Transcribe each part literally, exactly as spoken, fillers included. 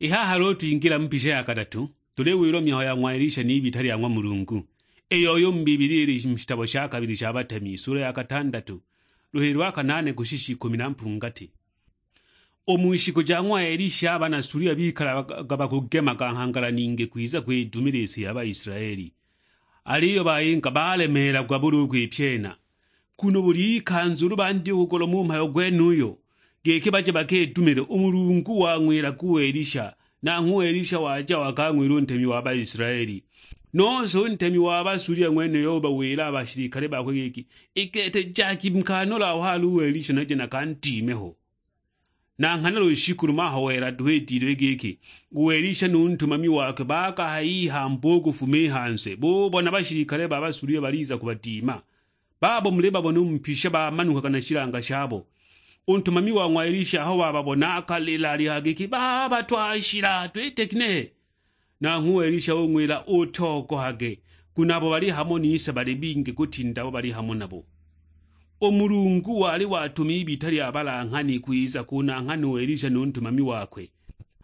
I haha luulu twingila mu pisha ya kadatu, tuliwilwa mihayo ya ng'wa Elisha n'ibita lya ng'wa Mulungu, iyo yu mu Bibilia ili mu shitabo sha kabili sha Batemi, sula ya katandatu, luhili lwa kanaane kushisha ikumi na mpungati. U mu shiku ja ng'wa Elisha, a bana Sulia bikalaga bakugemaga nghangala ningi kwiza kwidumila i si ya Baisilaeli. Aliyo bayinga balemeelagwa bulu u kwipyena, nguno buli ikanza ulu bandya u kugoloma u mhayo gwenuyo, giki baje bakidumile, u Mulungu wang'wilaga u Elisha, nanghwe u Elisha waja wakang'wila u ntemi wa Baisilaeli. Nose u ntemi wa Basulia ng'wenuyo ubawila a bashilikale bakwe giki, "I gete jagi mukanole aho ali u Elisha naje nakandime ho." Na nghana lushiku lumo aho wela duhu idilwe giki, u Elisha nu ntumami wakwe bakahaya ihamba u kufuma i hanze, bubona bashilikale ba Basulia baliza kubadima. Babo muli babona u mu pisha bamanukaga na shilanga shabo. U ntumami wa ng'wa Elisha aho wababona akalila alihaya giki, "Baba twashila, twite ginehe?" Nanghwe u Elisha ung'wila, "Utogohage, nguno abo bali hamo nise bali bingi kutinda abo bali hamo nabo." U Mulungu wali watuma ibita lya balanghani kwiza kunanghana u Elisha nu ntumami wakwe.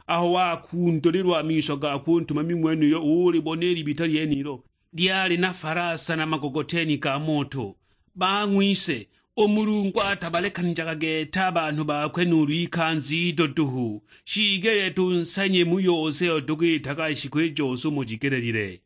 Aho wakundulilwa a miso gakwe u ntumami ng'wenuyo ulibona i libita lyenilo, lyali na falasa na magogoteni ga moto. Bang'wise, u Mulungu atabalekanijaga gete a banhu bakwe nuulu ikanza ido duhu, shiigelile tunsanye mu yose iyo tukwitaga shiku i jose umo jigelelile.